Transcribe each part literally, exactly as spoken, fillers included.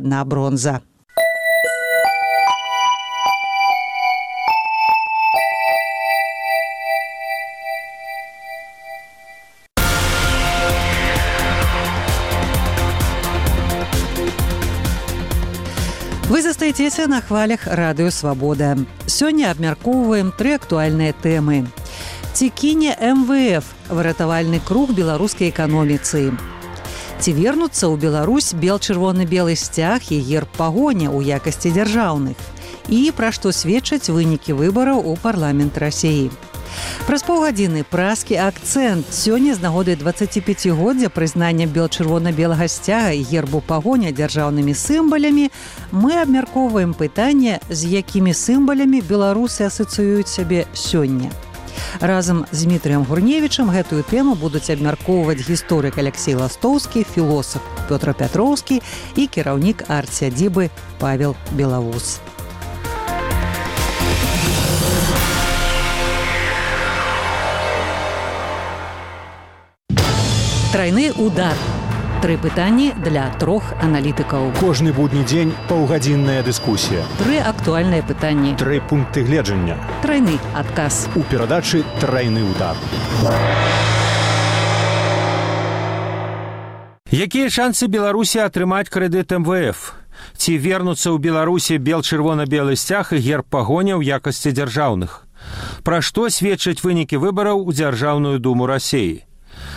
на бронза. Вы застаецеся на хвалях радыё «Свабода». Сёння абмяркоўваем тры актуальныя тэмы. Ці кіне эм вэ эф выратавальны круг беларускай эканоміцы? Ці вернуцца ў Беларусь бел-чырвона-белы сцяг і герб пагоня ў якасці дзяржаўных? І пра што сведчаць вынікі выбараў у парламент Расіі? Праз паўгадзіны празкі акцэнт. Сёння з нагоды дваццаціпяцігоддзя прызнання бел-чырвона-белага сцяга і гербу пагоня дзяржаўнымі сімбалямі мы абмяркоўваем пытанне, з якімі сімбалямі беларусы асацыююць сябе сёння. Разам з Дмітрыем Гурневічам гэтую тэму будуць абмяркоўваць гісторык Алексей Ластоўскі, філосаф Пётр Пятроўскі і кіраўнік арт-сядзібы Павел Белавуз. Трайны удар. Тры пытанні для трох аналітыкаў. Кожны будні дзень паўгадзінная дыскусія. Тры актуальныя пытанні. Тры пункты гледжання. Трайны адказ. У перадачы «Трайны удар». Якія шансы Беларусі атрымаць крэдыт эм вэ эф? Ці вернуцца ў Беларусі бел-чырвона-белы сцяг і герб пагоня ў якасці дзяржаўных? Пра што сведчаць вынікі выбараў у Дзяржаўную думу Расіі?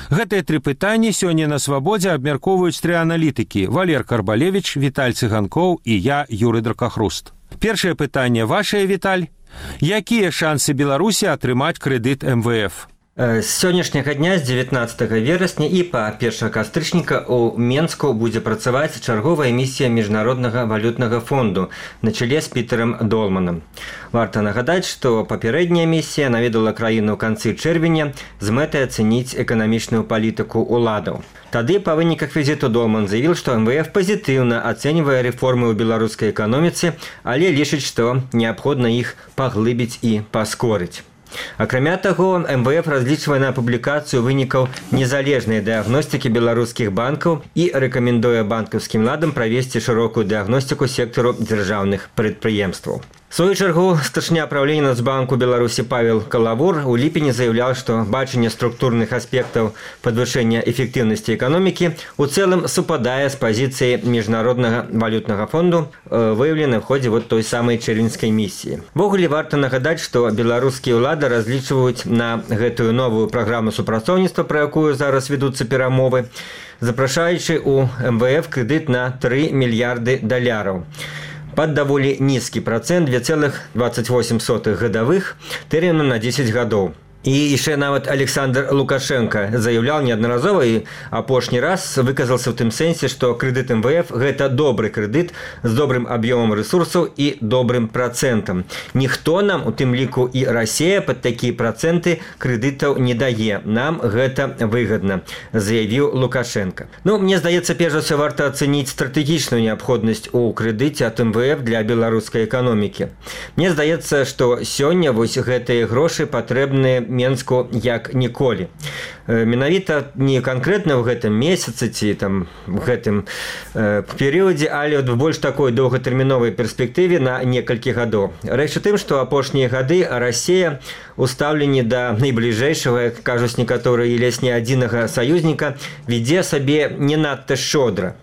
Гэтыя тры пытанні сёння на «Свабодзе» абмяркоўваюць тры аналітыкі: Валер Карбалевіч, Віталь Цыганкоў і я, Юрый Дракахруст. Першае пытанне вашае, Віталь. Якія шансы Беларусі атрымаць крэдыт эм вэ эф? З сённяшняга дня, з дзевятнаццатага верасня і па першага кастрычніка ў Менску будзе працаваць чарговая місія Міжнароднага валютнага фонду на чале з Пітерам Долманам. Варта нагадаць, што папярэдняя місія наведала краіну ў канцы чэрвеня з мэтай ацэніць эканамічную палітыку ўладаў. Тады па выніках візіту Долман заявіў, што эм вэ эф пазітыўна ацэньвае рэформы ў беларускай эканоміцы, але лічыць, што неабходна іх паглыбіць і паскорыць. Акрамя таго, эм вэ эф разлічвае на публікацыю вынікаў незалежнай дыягностыкі беларускіх банкаў і рэкамендуе банкаўскім ладам правесці шырокую дыягностыку сектару дзяржаўных прадпрыемстваў. В свою чаргу, старшыня правлення Нацбанку Беларусі Павел Калавур у ліпені заяўляў, што бачанне структурных аспектаў падвышэння эфектыўнасці эканомікі у цэлым супадае з пазіцыяй Міжнароднага валютнага фонду, выяўленай в ходзе вот той самай чэрвеньскай місіі. Ввогуле варта нагадаць, што беларускія ўлады разлічваюць на гэтую новую праграму супрацоўніцтва, пра якую зараз вядуцца перамовы, запрашаючы ў эм вэ эф крэдыт на тры мільярды даляраў. Пад даволі нізкі працэнт две цэлых дваццаць восем сотых гадавых тэрмінам на дзесяць гадоў. І яшчэ нават Александр Лукашенко заяўляў неаднаразова і апошні раз выказаўся ў тым сэнсе, што крэдыт эм вэ эф гэта добры крэдыт з добрым аб'ёмам рэсурсаў і добрым працэнтам. Ніхто нам, у тым ліку і Расія, пад такія працэнты крэдытаў не дае. Нам гэта выгадна, заявіў Лукашенко. Ну, мне здаецца, перш за ўсё варта ацэніць стратэгічную неабходнасць у крэдыце ад эм вэ эф для беларускай эканомікі. Мне здаецца, што сёння вось гэтыя грошы патрэбныя Менску як ніколі. Менавіта не канкрэтна ў гэтым месяцы ці там в гэтым э, перыядзе, але в больш такой доўгатэрміновай перспектыве на некалькі гадоў. Рэч у тым, што апошнія гады Расія у стаўленні да найбліжэйшага, кажуць некаторыя, і ледзь не адзінага саюзніка, вядзе сабе не надта шчодра.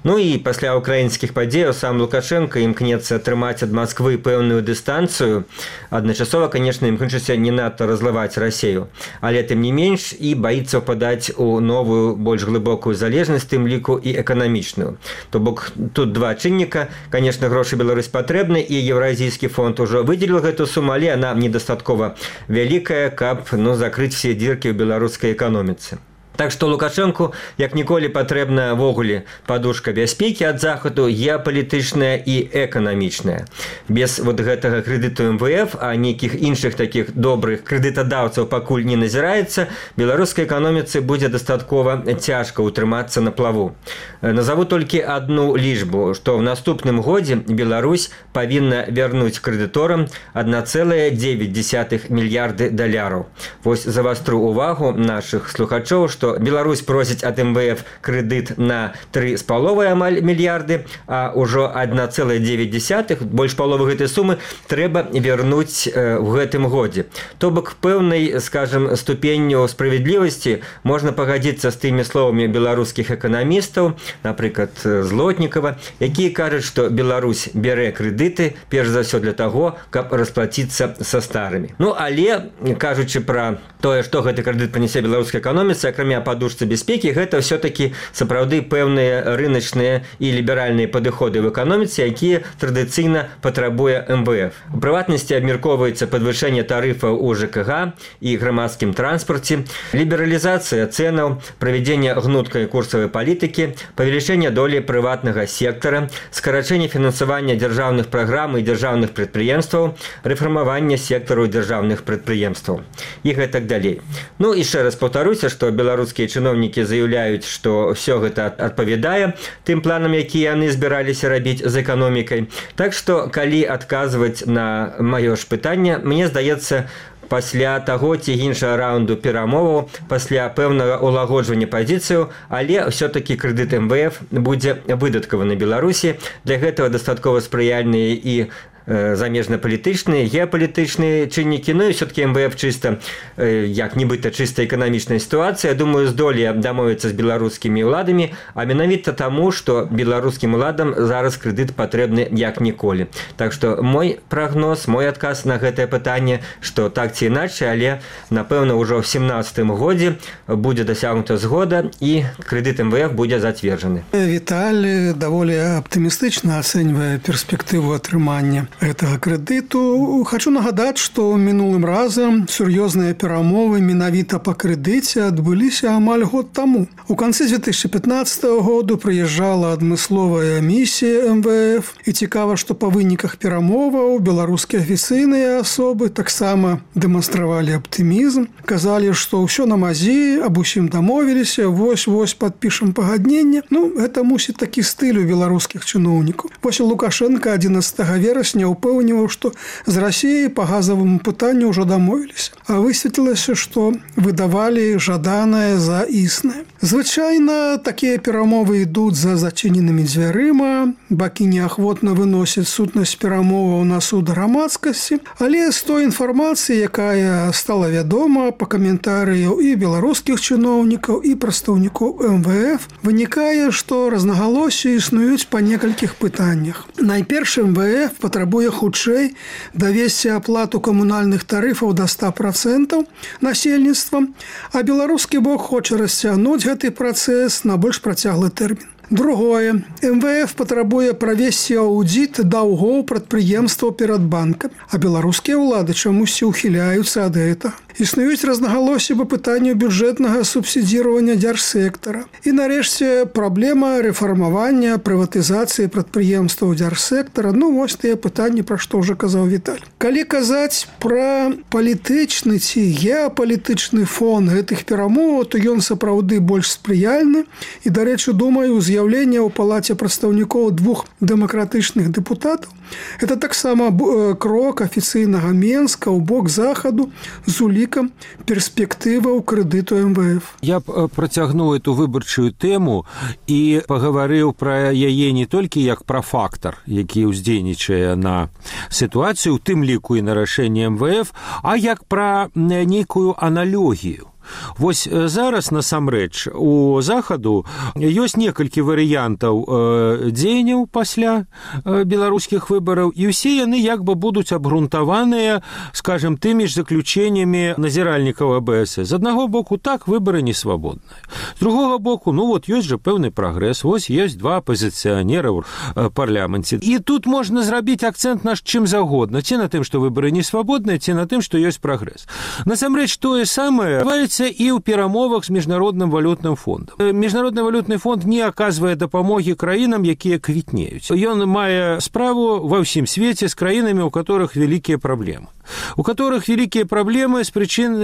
Ну і пасля украінскіх падзеяў сам Лукашенко імкнецца атрымаць ад Масквы пэўную дыстанцыю, адначасова, канешне, імкнучыся не надта разлываць Расію, але тым не менш і баіцца ўпадаць у новую, больш глыбокую залежнасць, тым ліку і эканамічную. То бок тут два чынніка, канешне, грошы Беларусь патрэбны, і Еўразійскі фонд ужо выдзеліў гэту суму, але яна недастаткова вялікая, каб ну, закрыць все дзіркі ў беларускай эканоміцы. Так што Лукашэнку, як ніколі, патрэбна ввогуле падушка бяспекі ад захаду, геапалітычная і эканамічная. Без вот гэтага крэдыту эм вэ эф, а нейкіх іншых такіх добрых крэдытадаўцаў пакуль не назіраецца, беларускай эканоміцы будзе дастаткова цяжка ўтрымацца на плаву. Назову толькі адну лічбу, што ў наступным годзе Беларусь павінна вярнуць крэдыторам адна цэлая дзевяць дзесятых мільярды даляраў. Вось завастру увагу нашых слухачоў, што што Беларусь просіць ад эм вэ эф крэдыт на тры з паловай амаль мільярды, а ўжо адна цэлая дзевяць дзесятых, больш паловы гэтай сумы трэба вярнуць ў гэтым годзе. То бок пэўнай, скажем, ступенню справядлівасці можна пагадзіцца з тымі словамі беларускіх эканамістаў, напрыклад, Злотнікава, якія кажуць, што Беларусь бярэ крэдыты перш за ўсё для таго, каб расплаціцца са старымі. Ну, але, кажучы пра тое, што гэты крэдыт прынясе беларускай эканоміцы, акрамя падушцы бяспекі, гэта ўсё-такі сапраўды пэўныя рыначныя і ліберальныя падыходы в эканоміцы, якія традыцыйна патрабуе эм вэ эф. У прыватнасці абмяркоўваецца падвышэнне тарыфаў у жэ ка га і грамадскім транспарце, лібералізацыя цэнаў, правядзенне гнуткай курсавай палітыкі, павелічэнне долі прыватнага сектара, скарачэнне фінансавання дзяржаўных праграм і дзяржаўных прадпрыемстваў, рэфармаванне сектару дзяржаўных прадпрыемстваў і гэтак далей. Ну, яшчэ раз паўтаруся, што беларускія чыноўнікі заяўляюць, што ўсё гэта адпавядае тым планам, якія яны збіраліся рабіць з эканомікай. Так што, калі адказваць на маё ж пытанне, мне здаецца, пасля таго ці іншага раунду перамоваў, пасля пэўнага ўлагоджвання пазіцыяў, але ўсё-такі крэдыт эм вэ эф будзе выдаткаваны Беларусі. Для гэтага дастаткова спрыяльныя і замежна-палітычныя, геапалітычныя чыннікі, ну і все-таки эм вэ эф чыста, як нібыта чыста эканамічная сітуацыя, думаю, здолее дамовіцца з беларускімі ўладамі, а менавіта таму, што беларускім уладам зараз крэдыт патрэбны як ніколі. Так што мой прагноз, мой адказ на гэтае пытанне, што так ці іначай, але, напэўна, ўжо ў семнадцатым годзе будзе дасягнута згода і крэдыт эм вэ эф будзе зацверджаны. Віталь даволі аптымістычна ацэньвае перспектыву атрымання гэтага крэдыту. Хачу нагадаць, што мінулым разам сур'ёзныя перамовы менавіта па крэдыце адбыліся амаль год таму. У канцы дзве тысячы пятнаццатага году прыязджала адмысловая місія эм вэ эф, і цікава, што па выніках перамоваў беларускія афіцыйныя асобы таксама дэманстравалі аптымізм, казалі, што ўсё на мазі, аб усім дамовіліся, вось-вось падпішам пагадненне. Ну, гэта мусіць такі стыль у беларускіх чыноўнікаў. Вось Лукашенко адзінаццатага верасня упэўніваў, што з Расіяй па газаваму пытанню ўжо дамовіліся. А высветлілася, што выдавалі жаданае за існае. Звычайна такія перамовы ідуць за зачыненымі дзвярыма, бакі неахвотна выносяць сутнасць перамоваў на суд грамадскасці, але з той інфармацыі, якая стала вядома па каментарыяў і беларускіх чыноўнікаў, і прадстаўнікоў эм вэ эф, вынікае, што рознагалоссі існуюць па некалькіх пытаннях. Найперш эм вэ эф патрабуе хутчэй давесці аплату камунальных тарыфаў да ста процентаў насельніцтва, а беларускі бок хоча расцягнуць гэты працэс на больш працяглы тэрмін. Другое. эм вэ эф патрабуе правесці аўдзіт даўгоў прадпрыемстваў перад банкамі, а беларускія ўлады чамусьці ўхіляюцца ад гэтага. Існуюць рознагалоссі па пытанню бюджэтнага субсідзіравання дзяржсектара. І нарэшце праблема рэфармавання, прыватызацыі прадпрыемстваў дзяржсектара. Ну, вось тыя пытанні, пра што ўжо казаў Віталь. Калі казаць пра палітычны ці геапалітычны фон гэтых перамоваў, то ён сапраўды больш спрыяльны. І, дарэчы, думаю, з'яўленне ў палаце прадстаўнікоў двух дэмакратычных дэпутатаў – это таксама крок афіцыйнага Менска ў бок захаду з улікам перспектываў крэдыту эм вэ эф. Я б працягнуў эту выбарчую тэму і пагаварыў пра яе не толькі як пра фактар, які ўздзейнічае на сітуацыю, у тым ліку і на рашэнне эм вэ эф, а як пра нейкую аналогію. Вось зараз, насамрэч, у захаду ёсць некалькі варыянтаў дзеянняў пасля беларускіх выбараў, і ўсе яны як бы будуць абгрунтаваныя, скажем, тымі ж заключэннямі назіральнікаў а бэ эс. З аднаго боку, так, выбары не свабодныя. З другога боку, ну вот ёсць жа пэўны прагрэс, вось ёсць два апазіцыянера ў парламенце. І тут можна зрабіць акцэнт наш чым загодна, ці на тым, што выбары не свабодныя, ці на тым, што ёсць прагрэс. Насамрэч, тое самае і ў перамовах з міжнародным валютным фондам. Міжнародны валютны фонд не аказвае дапамогі краінам, якія квітнеюць. Ён мае справу ва ўсім свеце з краінамі, у которых вялікія праблемы. У которых вялікія праблемы з прычын,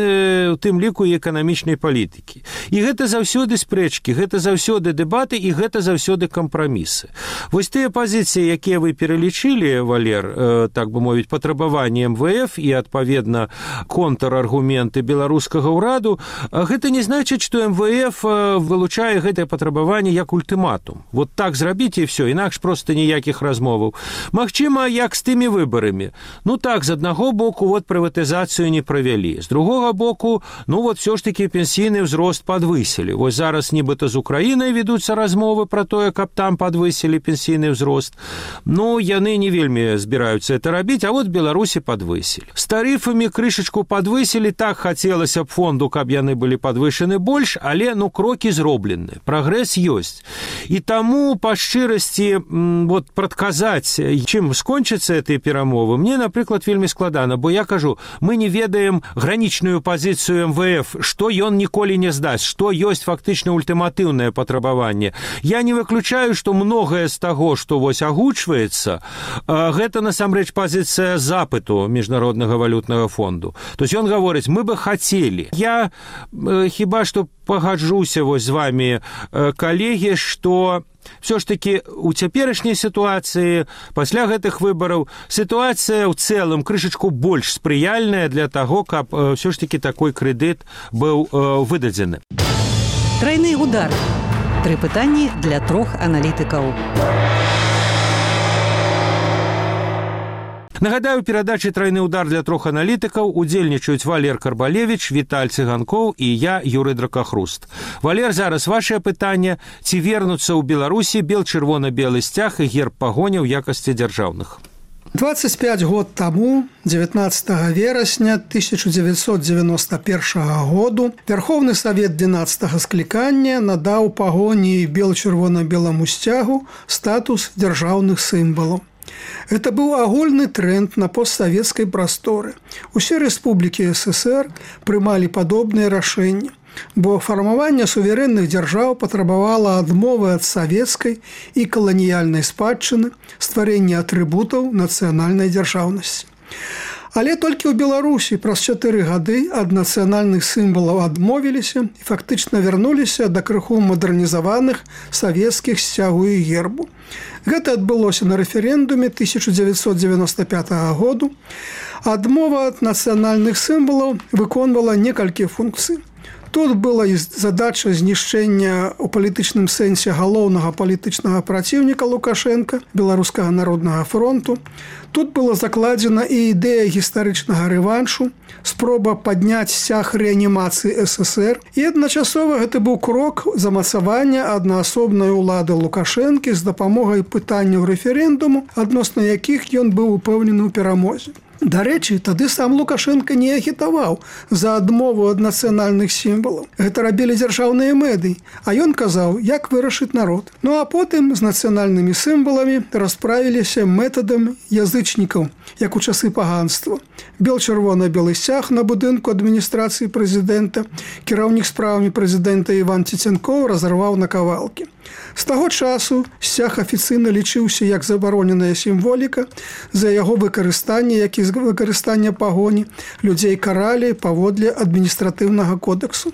у тым ліку, і эканамічнай палітыкі. І гэта заўсёды спрэчкі, гэта заўсёды дэбаты і гэта заўсёды кампрамісы. Вось тыя пазіцыі, якія вы пералічылі, Валер, так бы мовіць, патрабаванні эм вэ эф і, адпаведна, контраргументы беларускага ўраду, гэта не значыць, што эм вэ эф вылучае гэтае патрабаванне як ультыматум. Вот так зрабіце і все, інакш проста ніякіх размоваў. Магчыма, як з тымі выбарамі. Ну так, з аднаго боку, вот прыватызацыю не правялі. З другога боку, ну вот все ж таки пенсійны ўзрост падвысілі. Вось зараз нібыта з Украінай ведуцца размовы пра тое, каб там падвысілі пенсійны ўзрост. Ну, яны не вельмі збіраюцца это рабіць, а вот Беларусі падвысілі. З тарыфамі крышачку падвысілі, так хацелася б фонду, каб яны былі падвышаны больш, але, ну, крокі зроблены. Прагрэс ёсць. І таму, па шчырасці, вот, прадказаць, чым скончыцца гэтыя перамовы, мне, напрыклад, вельмі складана, бо я кажу, мы не ведаем гранічную пазіцыю эм вэ эф, што ён ніколі не здасць, што ёсць фактычна ультыматыўнае патрабаванне. Я не выключаю, што многае з таго, што вось агучваецца, гэта насамрэч пазіцыя запыту Міжнароднага валютнага фонду. То есть ён гаворыць, мы бы хацелі. Я хіба што пагаджуся вось з вами, калегі, што все ж таки у цяперашняй сітуацыі, пасля гэтых выбараў, сітуацыя ў цэлым крышачку больш спрыяльная для таго, каб все ж таки такой крэдыт быў выдадзены. Трайны удар. Тры пытанні для трох аналітыкаў. Нагадаю, перадачы «Трайны удар» для трох аналітыкаў удзельнічаюць Валер Карбалевіч, Віталь Цыганкоў і я, Юрый Дракахруст. Валер, зараз вашае пытанне. Ці вернуцца ў Беларусі бел-чырвона-белы сцяг і герб пагоня ў якасці дзяржаўных? двадцать пять год таму, девятнадцатого верасня тысяча девятьсот девяносто первого году, Верховны Савет двенадцатого склікання надаў пагоні і бел-чырвона-беламу сцягу статус дзяржаўных сімвалаў. Это быў агульны тренд на постсавецкай прасторы. Усе рэспублікі эс эсэр прымалі падобныя рашэнні, бо фармаванне суверэнных дзяржаў патрабавала адмовы ад савецкай і каланіяльнай спадчыны, стварэння атрыбутаў нацыянальнай дзяржаўнасці. Але толькі ў Беларусі праз чатыры гады ад нацыянальных сімвалаў адмовіліся і фактычна вярнуліся да крыху мадэрнізаваных савецкіх сцягу і гербу. Гэта адбылося на рэферэндуме тысяча девятьсот девяносто пятого году. Адмова ад нацыянальных сімвалаў выконвала некалькі функцый. Тут была і задача знішчэння ў палітычным сэнсе галоўнага палітычнага праціўніка Лукашенка, Беларускага народнага фронту. Тут была закладзена і ідэя гістарычнага рэваншу, спроба падняць сцяг рэанімацыі эс эсэр. І адначасова гэта быў крок замацавання аднаасобнай улады Лукашэнкі з дапамогай пытанняў рэферэндуму, адносна якіх ён быў упэўнены ў перамозе. Дарэчы, тады сам Лукашенко не агітаваў за адмову ад нацыянальных сімвалаў. Гэта рабілі дзяржаўныя медыі, а ён казаў, як вырашыць народ. Ну а потым з нацыянальнымі сімваламі расправіліся метадам язычнікаў, як у часы паганства. Бел-чырвона-белы сцяг на будынку адміністрацыі прэзідэнта кіраўнік справамі прэзідэнта Іван Цецянкоў разарваў на кавалкі. З таго часу сцяг афіцыйна лічыўся як забароненая сімволіка. За яго выкарыстанне, як і выкарыстання пагоні, людзей каралі паводле адміністратыўнага кодексу.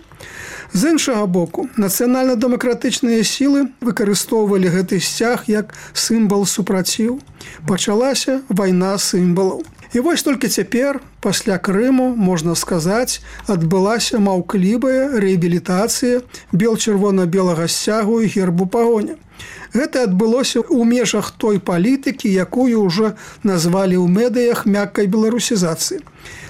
З іншага боку, нацыянальна-дэмакратычныя сілы выкарыстоўвалі гэты сцяг як сімвал супраціў. Пачалася вайна сімвалаў. І вось толькі цяпер, пасля Крыму, можна сказаць, адбылася маўклівая рэабілітацыя бел-чырвона-белага сцягу і гербу пагоня. Гэта адбылося ў межах той палітыкі, якую ўжо назвалі ў медыях мяккай беларусізацыі.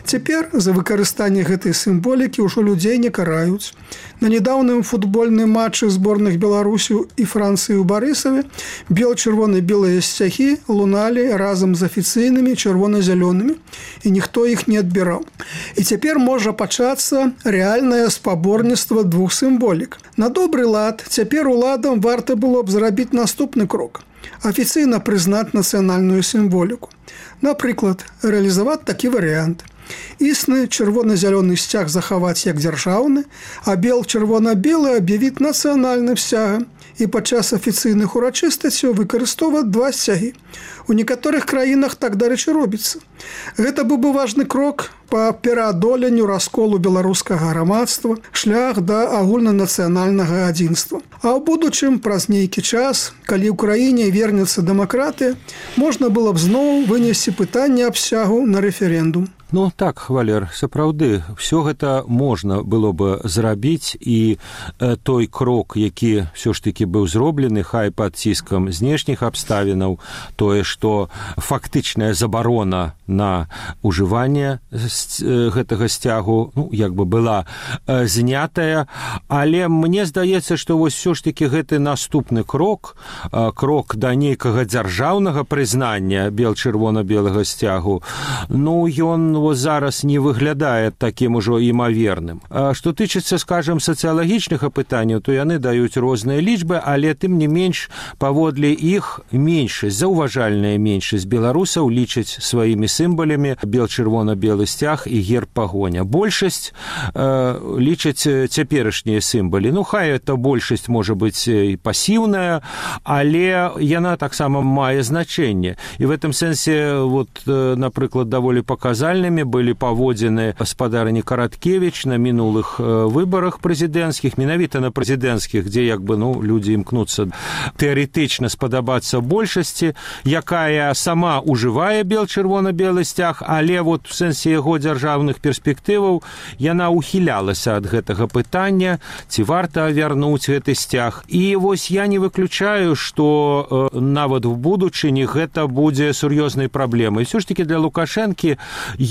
Цяпер за выкарыстанне гэтай сімволікі ўжо людзей не караюць. На нядаўным футбольным матчы зборных Беларусі і Францыі ў Барысаве бел-чырвона-белыя сцягі луналі разам з афіцыйнымі чырвона-зялёнымі, і ніхто іх не адбіраў. І цяпер можа пачацца рэальнае спаборніцтва двух сімволік. На добры лад цяпер уладам варта было б зрабіць наступны крок – афіцыйна прызнаць нацыянальную сімволіку. Напрыклад, рэалізаваць такі варыянт. Існы чырвона-зялёны сцяг захаваць як дзяржаўны, а бел-чырвона-белы аб'явіць нацыянальным сцягам і падчас афіцыйных урачыстасцяў выкарыстоўваць два сцягі. У некаторых краінах так, дарэчы, робіцца. Гэта быў бы важны крок па пераадоленню расколу беларускага грамадства, шлях да агульнанацыянальнага адзінства. А ў будучым, праз нейкі час, калі ў краіне вернецца дэмакратыя, можна было б зноў вынесці пытанне аб сцягу на рэферэндум. Ну так, Валер, сапраўды, все гэта можна было бы зрабіць, і э, той крок, які все ж таки быў зроблены, хай пад ціскам знешніх абставінаў, тое, што фактычная забарона на ўжыванне э, гэтага сцягу, ну, як бы была э, знятая, але мне здаецца, што вось все ж таки гэты наступны крок, э, крок да нейкага дзяржаўнага прызнання бел-чырвона-белага сцягу, ну, ён вот зараз не выглядае таким ужо імаверным. А што тычыцца, скажем, сацыялагічных апытанняў, то яны даюць розныя лічбы, але тым не менш паводле іх меншасць, заўважальная меншасць беларусаў лічаць сваімі сімвалямі бел-чырвона-белы сцяг і герб пагоня. Большасць э, лічаць цяперашнія сімвалы. Ну, хай эта большасць можа быць і пасіўная, але яна таксама мае значэнне. І в этом сэнсе, вот, напрыклад, даволі паказальнымі былі паводзіны гаспадарыні Караткевіч на мінулых выбарах прэзідэнцкіх, менавіта на прэзідэнцкіх, дзе як бы, ну, людзі імкнуцца тэарэтычна спадабацца большасці, якая сама ўжывае бел-чырвона-белы сцяг, але вот в сэнсе яго дзяржаўных перспектываў яна ухілялася ад гэтага пытання, ці варта вярнуць гэты сцяг. І вось я не выключаю, што э, нават в будучыні гэта будзе сур'ёзнай праблемай. Все ж таки для Лукашэнкі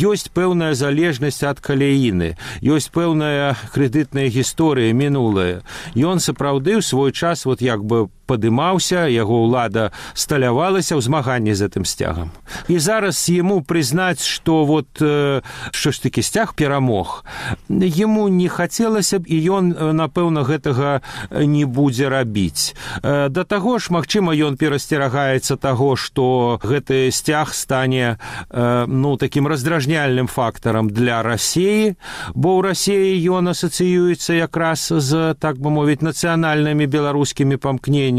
ёсць пэўная залежнасць ад каляіны, ёсць пэўная крэдытная гісторыя мінулая. Ён сапраўды ў свой час вот як бы падымаўся, яго ўлада сталявалася ў змаганні з гэтым сцягам. І зараз яму прызнаць, што вот э, што ж такі сцяг перамог, яму не хацелася б, і ён, напэўна, гэтага не будзе рабіць. Э, да таго ж, магчыма, ён перасцерагаецца таго, што гэты сцяг стане э, ну, такім раздражняльным фактарам для Расіі, бо ў Расіі ён асацыюецца якраз з, так бы мовіць, нацыянальнымі беларускімі памкненнямі.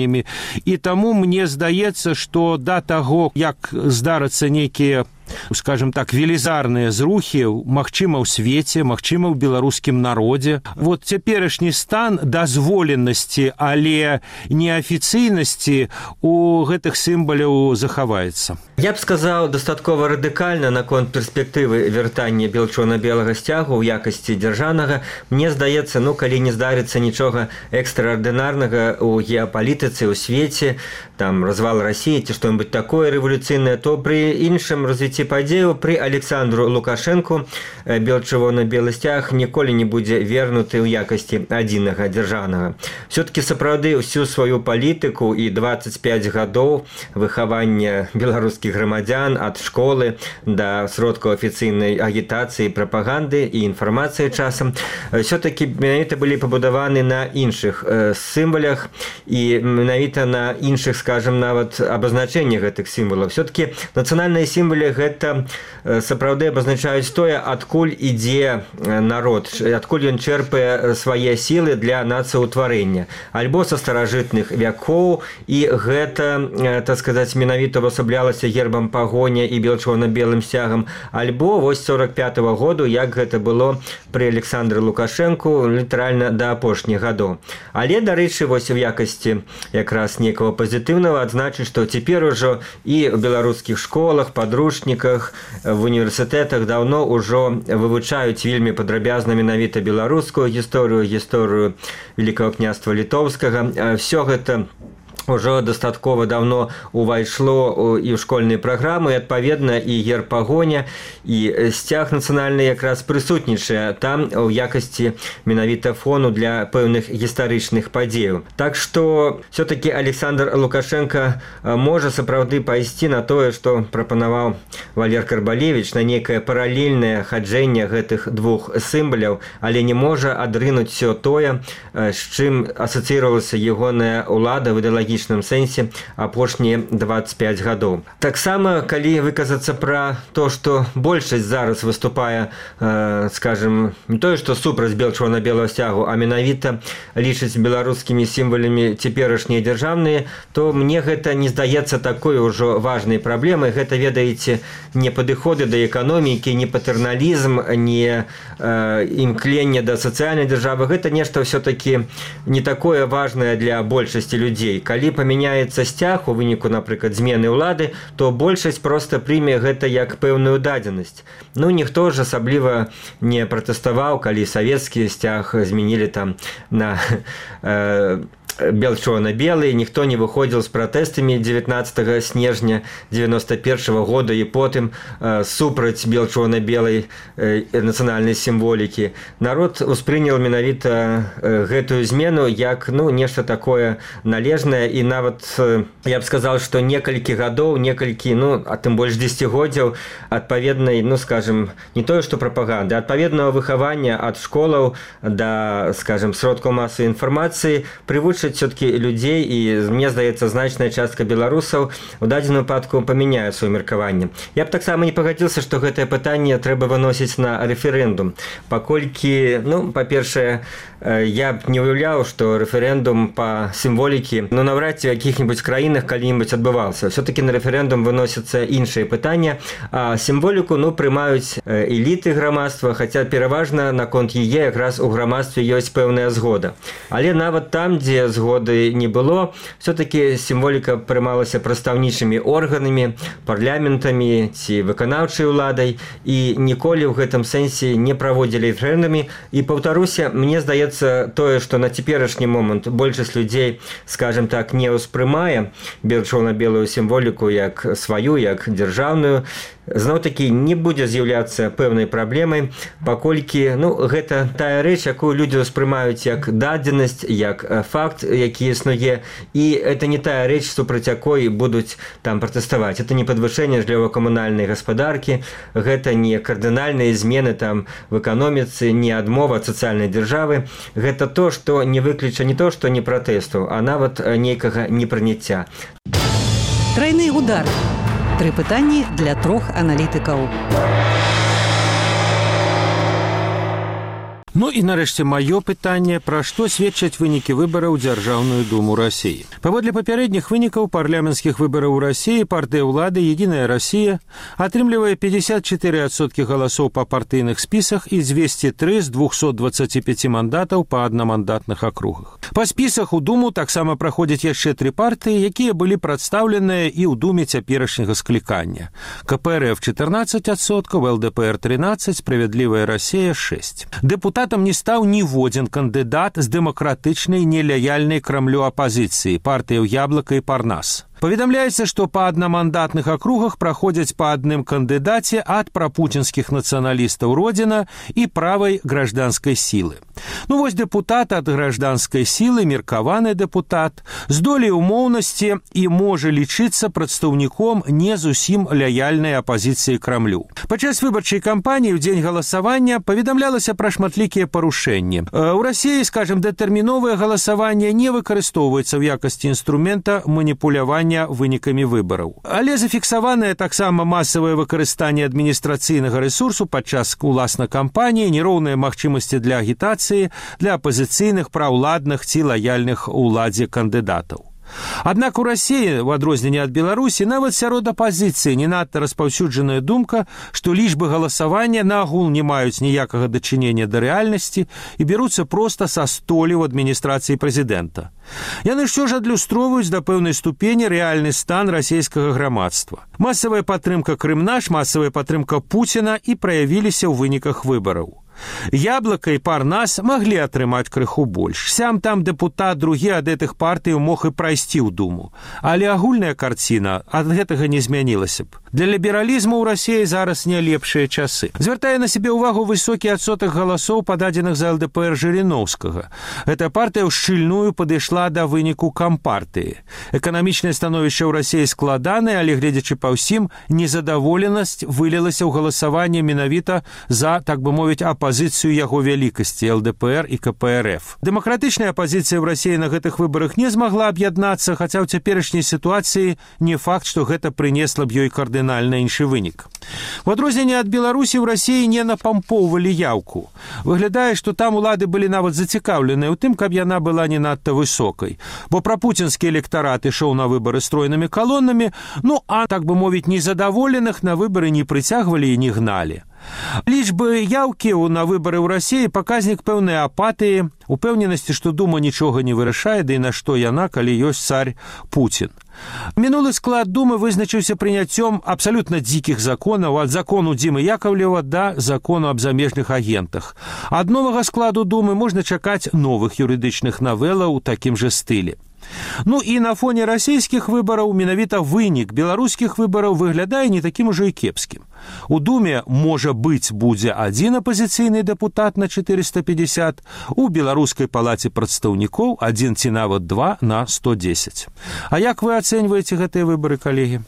І таму мне здаецца, што да таго, як здарыцца нейкія, скажем так, велізарныя зрухі, магчыма, ў свеце, магчыма, ў беларускім народзе. Вот цяперашні стан дазволенасці, але неафіцыйнасці у гэтых сімваляў захаваецца. Я б сказаў дастаткова радыкальна наконт перспектывы вяртання бел-чырвона-белага сцягу ў якасці дзяржаўнага. Мне здаецца, ну, калі не здарыцца нічога экстраардынарнага ў геапалітыцы, ў свеце, там, развал Расіі ці што-небудзь такое рэвалюцыйнае, то пры іншым развіцці падзею пры Александру Лукашэнку бел-чырвона-белы сцяг ніколі не будзе вернуты ў якасці адзінага дзяржаўнага. Все-таки сапраўды ўсю сваю палітыку і дваццаць пяць гадоў выхавання беларускіх грамадзян ад школы да сродкаў афіцыйнай агітацыі, прапаганды і інфармацыі часам все-таки менавіта былі пабудаваны на іншых э, сімвалях і менавіта на іншых, скажем, нават абазначэнні гэтых сімвалаў. Все-таки нацыянальныя сімвалы гэта сапраўды абазначаюць тое, адкуль ідзе народ, адкуль ён чэрпае свае сілы для нацыўтварэння. Альбо са старажытных вякоў, і гэта, так сказаць, менавіта ўвасаблялася гербам пагоня і бел-чырвона-белым сцягам, альбо вось сорок пятага году, як гэта было пры Александры Лукашэнку літаральна да апошніх гадоў. Але, дарэчы, вось у якасці якраз некага пазітыўнага адзначыць, што цяпер ужо і ў беларускіх школах, падручніках, в універсітэтах даўно ўжо вывучаюць вельмі падрабязна менавіта беларускую гісторыю, гісторыю Великага княства Літоўскага. Всё гэта ўжо дастаткова даўно увайшло і ў школьныя праграмы, і адпаведна і герб пагоня, і сцяг нацыянальны якраз прысутнічае там у якасці менавіта фону для пэўных гістарычных падзеяў. Так што все-таки Александр Лукашенко можа сапраўды пайсці на тое, што прапанаваў Валер Карбалевіч, на некае паралельнае хаджэнне гэтых двух сімваляў, але не можа адрынуць все тое, з чым асацыіравалася ягоная ўлада в ідэалагічным сэнсе апошнія дваццаць пяць гадоў. Таксама, калі выказацца пра то, што большасць зараз выступае, э, скажем, не тое, што супраць бел-чырвона-белага сцягу, а менавіта лічыць беларускімі сімвалямі цяперашнія дзяржаўныя, то мне гэта не здаецца такой ужо важнай праблемай. Гэта, ведаеце, не падыходы да эканомікі, не патэрналізм, не э, імкленне да сацыяльнай дзяржавы. Гэта нешта все-таки не такое важнае для большасці людзей. калі памяняецца сцяг у выніку, напрыклад, змены ўлады, то большасць проста прыме гэта як пэўную дадзенасць. Ну, ніхто ж асабліва не пратэставаў, калі савецкі сцяг змянілі там на э, бел-чорна-белый, ніхто не выходзіў з пратэстамі дзевятнаццатага снежня дзевяноста першага года і потым э, супраць бел-чорна-белай э, нацыянальнай сімволікі. Народ успрыняў менавіта э, гэтую змену як, ну, нешта такое належнае, і нават э, я б сказаў, што некалькі гадоў, некалькі, ну, а тым больш дзесяцігоддзяў адпаведнай, ну, скажем, не тое, што прапаганды, адпаведнага выхавання ад школаў да, скажем, сродкаў масавай інфармацыі прывучаць все-таки людзей, і мне здаецца, значная частка беларусаў у дадзеным выпадку памяняе сваё меркаванне. Я б таксама не пагадзіўся, што гэтае пытанне трэба выносіць на рэферэндум, паколькі, ну, па-першае, я б не уяўляў, што рэферэндум па сімволікі, ну, наўрад ці ў якіх-небудзь краінах калі-небудзь адбываўся. Все-таки на рэферэндум выносяцца іншыя пытанні, а сімволіку, ну, прымаюць эліты грамадства, хаця пераважна наконт яе якраз у грамадстве ёсць пэўная згода. Але нават там, дзе згоды не было, все-таки сімволіка прымалася прадстаўнічымі органамі, парламентамі ці выканаўчай уладай, і ніколі ў гэтым сэнсе не праводзілі рэферэндумы. І паўтаруся, мне здаецца, тое, што на цяперашні момант большасць людзей, скажем так, не ўспрымае бел-чорна-белую сімволіку як сваю, як дзяржаўную, зноў-такі не будзе з'яўляцца пэўнай праблемай, паколькі, ну, гэта тая рэч, якую людзі ўспрымаюць як дадзенасць, як факт, які існуе, і это не тая рэч, супраць якой будуць там пратэставаць. Это не падвышэнне жыллёва-камунальнай гаспадаркі, гэта не кардынальныя змены там в эканоміцы, не адмова ад сацыяльнай дзяржавы. Гэта то, што не выключа не то, што не пратэсту, а нават нейкага непрыняцця. Трайны удар. Тры пытанні для трох аналітыкаў. Ну і нарэшце маё пытанне, пра што сведчаць вынікі выбараў у Дзяржаўную думу Расіі. Паводле папярэдніх вынікаў парламенцкіх выбараў у Расіі партыя ўлады «Единая Россия» атрымлівае пятьдесят четыре адсоткі галасоў па партыйных спісах і двести три з двухсот двадцати пяти мандатаў па аднамандатных акругах. Па спісах у думу таксама праходзяць яшчэ тры партыі, якія былі прадстаўленыя і ў думе цяперашняга склікання. ка пэ эр эф четырнадцать адсоткаў, эл дэ пэ эр тринадцать, «Справядлівая Россия» шесть. Депутат не стаў ніводзін кандыдат з дэмакратычнай нелаяльнай крамлю апазіцыі, партыяў «Яблоко» і «Парнас». Паведамляецца, што па аднамандатных акругах праходзяць па адным кандыдаце ад прапуцінскіх нацыяналістаў «Родзіна» і правай гражданскай сілы. Ну вось дэпутат ад гражданскай сілы, меркаваны дэпутат, з долей умоўнасці і можа лічыцца прадстаўніком не зусім лаяльнай апазіцыі крамлю. Падчас выбарчай кампаніі ў дзень галасавання паведамлялася пра шматлікія парушэнні. У Расіі, скажем, дэтэрміновае галасаванне не выкарыстоўваецца ў якасці інструмента маніпулявання вынікамі выбараў. Але зафіксаванае таксама масавае выкарыстанне адміністрацыйнага рэсурсу падчас уласна кампаніі, нероўныя магчымасці для агітацыі для апазіцыйных, праўладных ці лаяльных уладзе кандыдатаў. Аднак у Расіі, у адрозненне ад Беларусі, нават сярод апазіцыі не надта распаўсюджаная думка, што лічбы галасавання наогул не маюць ніякага дачынення да рэальнасці і беруцца проста са столі ў адміністрацыі прэзідэнта. Яны ўсё ж адлюстроўваюць да пэўнай ступені рэальны стан расійскага грамадства. Масавая падтрымка Крымнаш, масавая падтрымка Пуціна і праявіліся ў выніках выбараў. «Яблоко» і «Парнас» маглі атрымаць крыху больш. Сям-там дэпутат другі ад гэтых партый мог і прайсці ў думу. Але агульная карціна ад гэтага не змянілася б. Для лібералізму ў Расіі зараз не лепшыя часы. Звяртае на сябе ўвагу высокі адсотак галасоў, пададзеных за эл дэ пэ эр Жыріноўскага. Гэта партыя ўшчыльную падышла да выніку кампартыі. Эканамічнае становішча ў Расіі складанае, але, гледзячы па ўсім, незадаволенасць вылілася ў галасаванне менавіта за, так бы мовіць, апазіцыю яго вялікасці эл дэ пэ эр і ка пэ эр эф. Дэмакратычная апазіцыя ў Расіі на гэтых выбарах не змагла аб'яднацца, хаця ў цяперашняй сітуацыі не факт, што гэта прынесла б ёй кардынальна іншы вынік. У адрозненне ад Беларусі ў Расіі не напампоўвалі яўку. Выглядае, што там улады былі нават зацікаўленыя ў тым, каб яна была не надта высокай, бо прапуцінскі электарат ішоў на выбары стройнымі калонамі, ну а, так бы мовіць, незадаволеных на выбары не прыцягвалі і не гналі. Лічбы яўкі на выбары ў Расіі паказнік пэўнай апатыі, упэўненасці, што Дума нічога не вырашае, ды і на што яна, калі ёсць царь Пуцін. Мінулы склад Думы вызначыўся прыняццём абсалютна дзікіх законаў, ад закону Дзімы Яковлева да закону аб замежных агентах. Ад новага складу Думы можна чакаць новых юрыдычных навелаў у такім жа стылі. Ну і на фоне расійскіх выбараў менавіта вынік беларускіх выбараў выглядае не такім ужо і кепскім. У Думе, можа быць, будзе адзін апазіцыйны дэпутат на чатырыста пятьдесят, у беларускай палаце прадстаўнікоў адзін ці нават два на сто десять. А як вы ацэньваеце гэтыя выбары, калегі?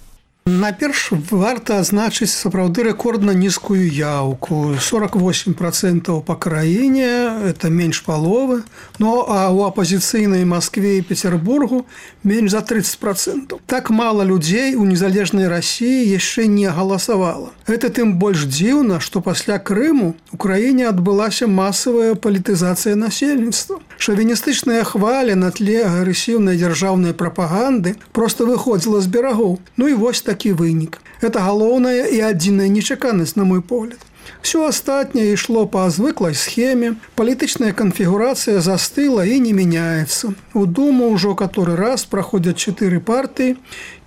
Наперш варта адзначыць сапраўды рэкордна нізкую яўку. сорок восемь процентов па краіне, это менш паловы, ну а ў апазіцыйнай Маскве і Петербургу менш за тридцать процентов. Так мала людзей у незалежнай Расіі яшчэ не галасавала. Гэта тым больш дзіўна, што пасля Крыму ў краіне адбылася масавая палітызацыя насельніцтва. Шавіністычная хваля на тле агрэсіўнай дзяржаўнай прапаганды проста выходзіла з берагоў. Ну і вось такі вынік. Это галоўная і адзіная нечаканасць, на мой погляд. Все астатняе ішло па звыклай схеме, палітычная канфігурацыя застыла і не мяняецца. У Думу ўжо каторы раз праходзяць чатыры партыі,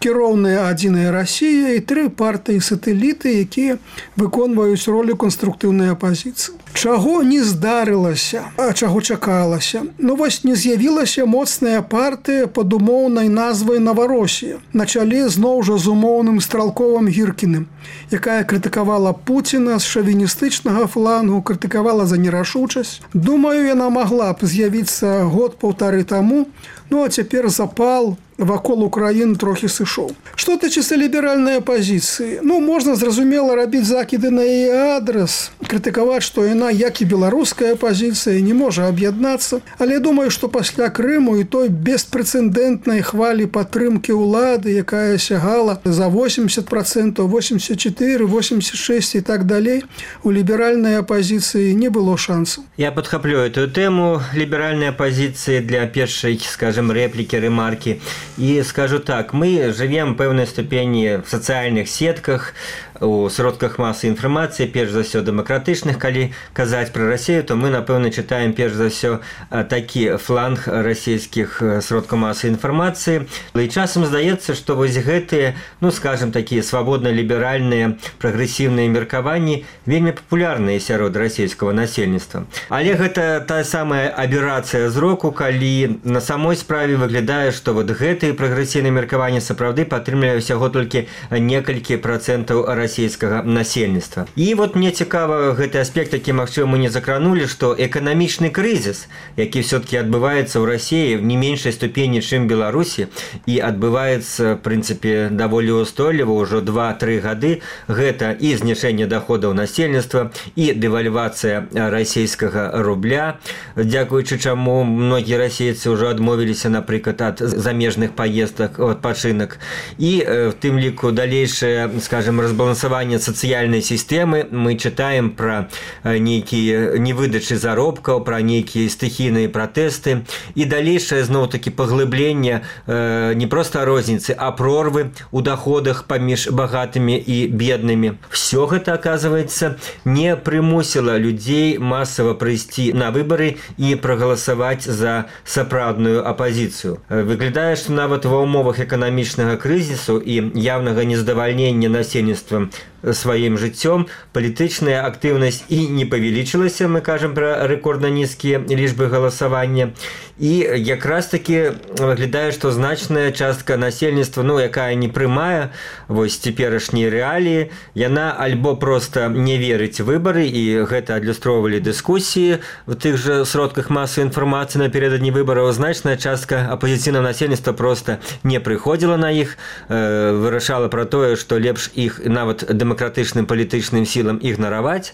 кіроўная адзіная Расія і тры партыі-сатэліты, якія выконваюць ролю канструктыўнай апазіцыі. Чаго не здарылася, а чаго чакалася? Ну вось не з'явілася моцная партыя пад умоўнай назвай Новоросія, на чале зноў жа з умоўным Стралковым Гіркіным, якая крытыкавала Пуціна з шавіністычнага флангу, крытыкавала за нерашучасць. Думаю, яна магла б з'явіцца год-паўтары таму, ну а цяпер запал вакол Украіны трохі сышоў. Што тычыцца ліберальнай апазіцыі? Ну, можна, зразумела, рабіць закіды на яе адрас, крытыкаваць, што яна, як і беларуская апазіцыя, не можа аб'яднацца. Але думаю, што пасля Крыму і той беспрэцэдэнтнай хвалі падтрымкі ўлады, якая сягала за восемьдесят процентов, восемьдесят четыре, восемьдесят шесть і так далей, у ліберальнай апазіцыі не было шансаў. Я падхаплю эту тэму ліберальнай апазіцыі для першай, скажем, рэплікі, рэмаркі. И скажу так, мы живем в певной ступени в социальных сетках, у сродках массы информации, перш за все демократичных, коли казать про Россию, то мы, напевно, читаем перш за все такі фланг российских сродков массы информации. И часом здаецца, что вось гэтые, ну, скажем, такие свободно-либеральные, прогрессивные меркаванні вельмі популярныя сярод российского насельніцтва. Але гэта та самая аберацыя зроку, калі на самой справе выглядае, что вот гэтые прогрессивные меркаванні сапраўды падтрымлівае ўсяго толькі некалькі процентаў расійскага насельніцтва. І вот мне цікава гэты аспект, які, магчыма, мы не закранули, што эканамічны крызіс, які все-таки адбываецца ў Расіі в не меншай ступені, чым Беларусі, і адбываецца, в прынцыпе, даволі устойліва ўжо два-тры гады, гэта і зніжэнне доходаў насельніцтва, і дэвальвацыя расійскага рубля, дзякуючы чаму многія расейцы ўжо адмовіліся, напрыклад, ад замежных паездак, адпачынак, і в тым ліку далейшае, скажем, разбалансаванне сацыяльнай сістэмы. Мы чытаем пра нейкія невыдачы заробкаў, пра нейкія стыхійныя пратэсты і далейшае зноў-такі паглыбленне э, не проста розніцы, а прорвы ў доходах паміж багатымі і беднымі. Всё гэта, оказывается, не прымусіла людзей масава прыйсці на выбары і прагаласаваць за сапраўдную апазіцыю. Выглядае, што нават ва ўмовах эканамічнага крызісу і явнага нездавальнення насельніцтва сваім жыццём палітычная актыўнасць і не павялічылася, мы кажам пра рэкордна нізкія лічбы галасавання. І якраз таки выглядае, што значная частка насельніцтва, ну, якая не прымае вось цяперашнія рэаліі, яна альбо проста не верыць выбары, і гэта адлюстроўвалі дыскусіі в тых жа сродках масавай інфармацыі напярэдадні выбараў. Значная частка апазіцыйнага насельніцтва проста не прыходзіла на іх, э, вырашала пра тое, што лепш іх нават дэмакратычным палітычным сілам ігнараваць.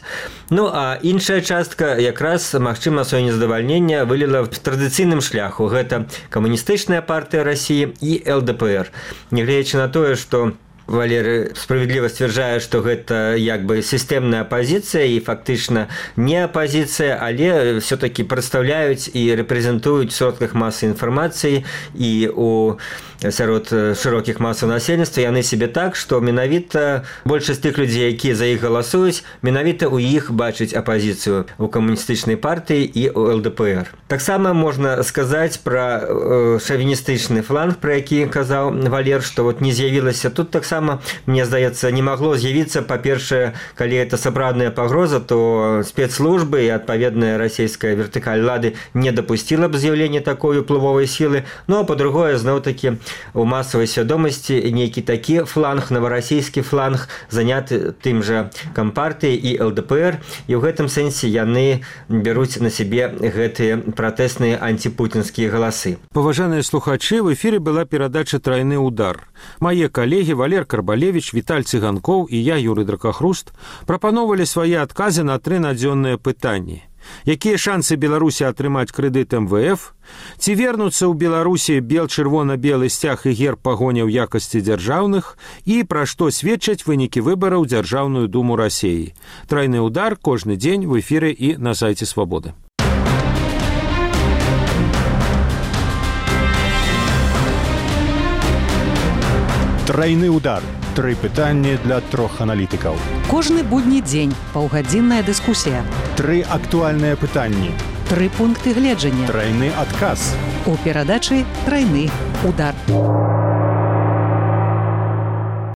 Ну а іншая частка якраз, магчыма, сваё нездавальненне выліла в традыцыйным шляху. Гэта камуністычная партыя Расіі і эл дэ пэ эр. Нягледзячы на тое, што Валерий справедливо сцвярджае, што гэта як бы сістэмная апазіцыя і фактычна не апазіцыя, але все-таки прадстаўляюць і рэпрэзентуюць в сродках масы інфармацыі і у сярод шырокіх масаў насельніцтва яны себе так, што менавіта большасць тых людзей, якія за іх галасуюць, менавіта ў іх бачыць апазіцыю у камуністычнай партыі і у эл дэ пэ эр. Таксама можна сказаць пра э, шавіністычны фланг, пра які казаў Валер, што вот не з'явілася тут таксама, мне здаецца, не магло з'явіцца, па-першае, калі это сапраўдная пагроза, то спецслужбы і адпаведная расійская вертыкаль лады не дапусціла б з'яўлення такой уплывовай сілы, ну а па-другое, зноў-такі у масавай свядомасці нейкі такі фланг, наварасійскі фланг, заняты тым жа кампартыяй і эл дэ пэ эр, і ў гэтым сэнсе яны бяруць на сябе гэтыя пратэсныя антипутінскія галасы. Паважаныя слухачы, в эфире была перадача «Тройны удар». Мае калегі Валер Карбалевич, Віталь Цыганкоў і я, Юрый Дракахруст, прапановалі свае адказы на тры надзённыя пытанні. Якія шансы Беларусі атрымаць крэдыт эм вэ эф? Ці вернуцца ў Беларусі бел-чырвона-белы сцяг і герб пагоня ў якасці дзяржаўных? І пра што сведчаць вынікі выбараў ў Дзяржаўную думу Расіі? Тройны удар кожны дзень в эфіры і на сайце Свабоды. Тройны удар. Тры пытанні для трох аналітыкаў. Кожны будні дзень паўгадзінная дыскусія. Тры актуальныя пытанні. Тры пункты гледжання. Тройны адказ. У перадачы «Тройны удар».